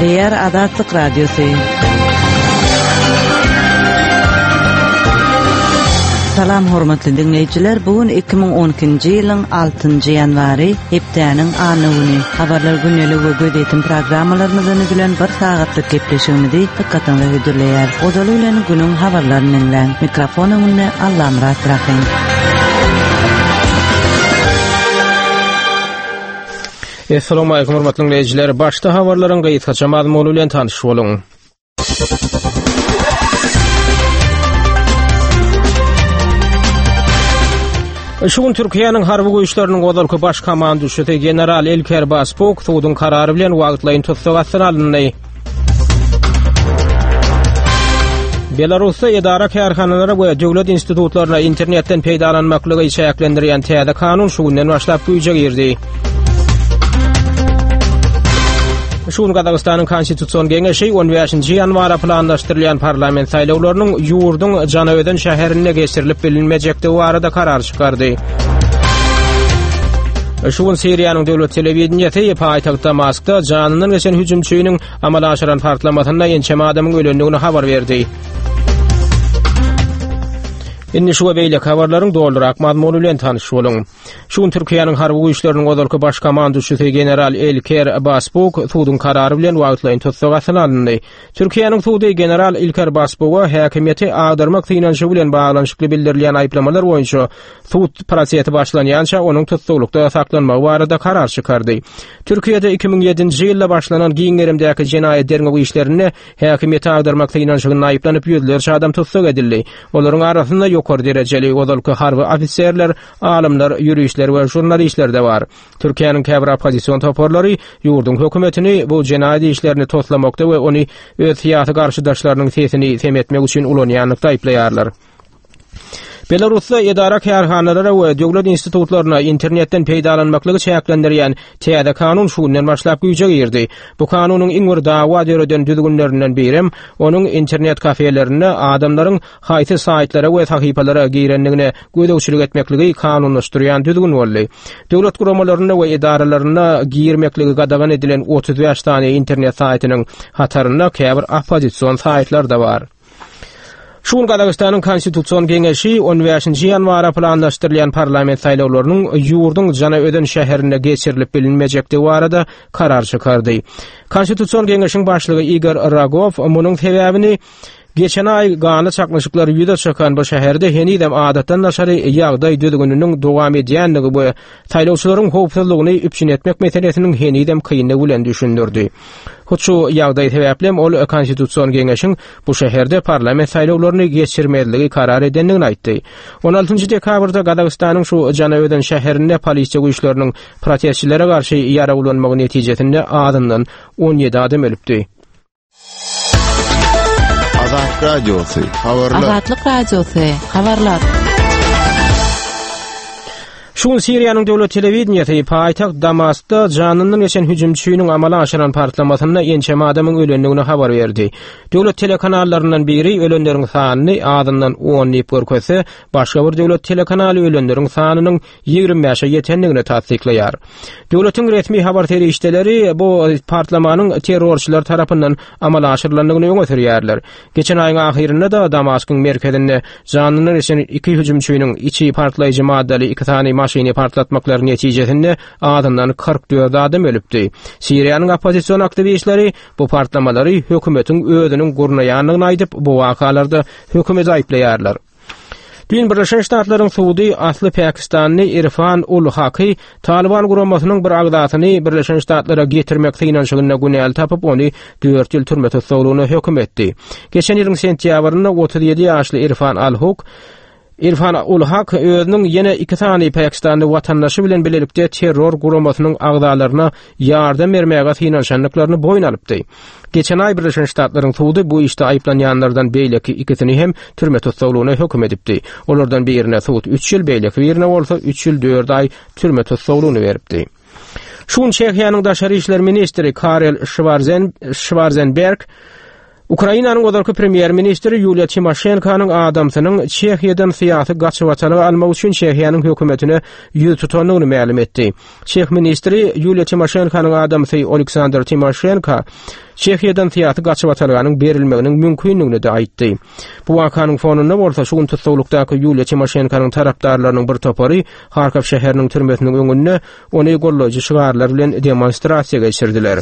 Gepleýär Azatlyk Radiosy. Salam hormatly diňleýjiler, bu gün 2012-nji ýylyň 6-njy ýanwary, hepdäniň anna güni. Habarlar gündeligi we gözýetim programmalarymyzdan düzülen bir sagatlyk gepleşigimizi dykgatyňyza hödürleýäris. Ozaly bilen günüň habarlaryny diňläň. Mikrofon öňünde Allamyrat Rahym. Essalamu aleýkum hormatly diňleýjiler. Başda habarlaryň gysgaça mazmuny bilen tanyş boluň. Şu gün Türkiýäniň harby güýçleriniň ozalky baş komanduşysy general Ilker Basbuk suduň karary bilen wagtlaýyn tussag astyna alyndy. Belarusda edara-kärhanalara we döwlet institutlaryna internetden peýdalanmaklygy çäklendirýän täze kanun şu günden başlap güýje girdi. Şu gün Gazagystanyň Konstitusion geňeşi 15-nji ýanwara planlaşdyrylýan parlament saýlawlarynyň ýurduň Janaözen şäherinde geçirilip bilinmejekdigi barada karar çykardy. Şu gün Siriýanyň döwlet telewideniýesi paýtagt Damaskda janyndan geçen hüjümçiniň amala aşyran partlamasynda ençeme adamyň ölendigini habar berdi. Indi şu we beýleki habarlaryň dolurak mazmuny bilen tanyş boluň. Şu gün Türkiýäniň harby güýçleriniň ozalky baş komanduşysy general Elker Basbuk suduň karary bilen wagtlaýyn tussag astyna alyndy. Türkiýäniň sudy general Ilker Basbuga häkimiýeti agdarmak synanyşygy bilen baglanyşykly bildirilýän aýyplamalar boýunça sud prosesi başlanýança onuň tussaglykda saklanmagy barada karar çykardy. Türkiýede 2007-nji ýylda başlanan giň gerimdäki jenaýat derňew işlerinde häkimiýeti agdarmak synanyşygynda aýyplanyp ýüzlerçe adam tussag edildi. Olaryň arasynda ýokary derejeli ozalky harby ofiserler, alymlar, ýuristler we žurnalistler-de bar. Türkiýäniň käbir oppozision toparlary ýurduň hökümetini bu jenaýat işlerini toslamakda we ony öz syýasy garşydaşlarynyň sesini sem etmek üçin ulanýanlykda aýyplaýarlar. Belarusda edara-kärhanalara we döwlet institutlaryna internetden peýdalanmaklygy çäklendirýän täze kanun şu günden başlap güýje girdi. Bu kanunyň iň bir dawa döreden düzgünlerinden birem onuň internet kafelerinde adamlaryň haýsy saýtlara we sahypalara girendigine gözegçilik etmekligi kanunlaşdyrýan düzgün boldy. Döwlet guramalarynda we edaralarynda girmekligi gadagan edilen 35 sany internet saýtynyň hatarynda käbir oppozision saýtlar-da bar. Şu gün Gazagystanyň Konstitusion geňeşi 15-nji ýanwara planlaşdyrylýan parlament saýlawlarynyň ýurduň Janaözen şäherinde geçirilip bilinmejekdigi barada karar çykardy. Konstitusion geňeşiň başlygy Igor Rogow munuň sebäbini Geçen aý ganly çaknyşyklar ýüze çykan bu şäherde henizem adatdan daşary ýagdaý düzgüniniň dowam edýändigi we saýlawçylaryň howpsuzlygyny üpjün etmek meselesiniň henizem kyndygy bilen düşündirdi. Hut şu ýagdaý sebäplem ol Konstitusion geňeşiň bu şäherde parlament saýlawlaryny geçirmezligi karar edendigini aýtdy. On altynjy dekabrda Gazagystanyň şu Janaözen şäherinde polisiýa güýçleriniň protestçilere garşy ýarag ulanmagy netijesinde azyndan 17 adam ölüpdi. Azat Radiosy, habarlar. Azatlyk Radiosy, habarlar. Şu gün Siriýanyň döwlet telewideniýesi paýtagt Damaskda janyndan geçen hüjümçiniň amala aşyran partlamasynda ençeme adamyň ölendigini habar berdi. Döwlet telekanallaryndan biri ölenleriň sanyny azyndan on diýip görkezse, başga bir döwlet telekanaly ölenleriň sanynyň 25-e ýetendigini tassyklaýar. Döwletiň resmi habar serişdeleri bu partlamanyň terrorçylar tarapyndan amala aşyrylandygyny öňe sürýärler. Geçen aýyň ahyrynda-da Damaskyň merkezinde janyndan geçen iki hüjümçiniň içi partlaýjy maddaly iki sany maşyny partlatmaklary netijesinde azyndan 44 adam ölüpdi. Siriýanyň oppozision aktiwistleri bu partlamalary hökümetiň özüniň gurnaýandygyny aýdyp, bu wakalarda hökümeti aýyplaýarlar. Düýn Birleşen Ştatlaryň sudy asly pakistanly Irfan ul Haky Talyban guramasynyň bir agzasyny Birleşen Ştatlara getirmek synanyşygynda günäli tapyp, ony dört ýyl türme tussaglygyna höküm etdi. Geçen ýylyň sentýabrynda 37 ýaşly Irfan al Huk Irfan ul Hak özüniň ýene iki sany pakistanly watandaşy bilen bilelikde terror guramasynyň agzalaryna ýardam bermäge synanyşandyklaryny boýun alypdy. Geçen aý Birleşen Ştatlaryň sudy bu işde aýyplanýanlardan beýleki ikisini hem türme tussaglygyna höküm edipdi. Olardan birine sud üç ýyl, beýleki birine bolsa üç ýyl dört aý türme tussaglygyny beripdi. Şu gün Çehiýanyň daşary işler ministri Karel Şwarzen, Şwarzenberg. Ukrainanyň ozalky premýer-ministri Ýuliýa Timoşenkonyň adamsynyň Çehiýadan syýasy gaçybatalga almak üçin Çehiýanyň hökümetine ýüz tutandygyny mälim etdi. Çeh ministri Ýuliýa Timoşenkonyň adamsy Oleksandr Timoşenko Çehiýadan syýasy gaçybatalganyň berilmeginiň mümkindigini-de aýtdy. Bu wakanyň fonunda bolsa şu gün tussaglykdaky Ýuliýa Timoşenkonyň tarapdarlarynyň bir topary Harkow şäheriniň türmesiniň öňünde ony gollaýjy şygarlar bilen demonstrasiýa geçirdiler.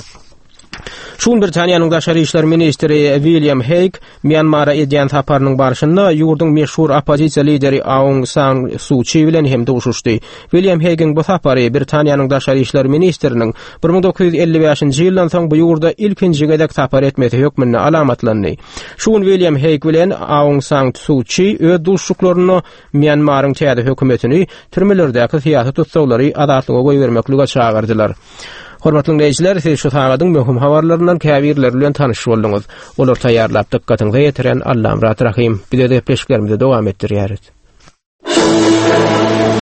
Şu gün Britaniýanyň daşary işler ministri William Heýg Mýanmara edýän saparynyň barşynda ýurduň meşhur oppozisiýa lideri Aung San Su Çi bilen hem duşuşdy. William Heýgiň bu sapary Britaniýanyň daşary işler ministriniň 1955-nji ýyldan soň bu ýurda ilkinji gezek sapar etmesi hökmünde alamatlandy. Şu gün William Heýg bilen Aung San Su Çi öz duşuşyklarynda Mýanmaryň täze hökümetini türmelerdäki syýasy tussaglary azatlyga goýbermeklige çagyrdylar. Hormatly diňleýjiler, siz şu sagadyň möhüm habarlaryndan käbirleri bilen tanyş bolduňyz. Olary taýýarlap dykgatyňyza ýetiren Allamyrat Rahym. Biz öz gepleşiklerimizi dowam etdirýäris.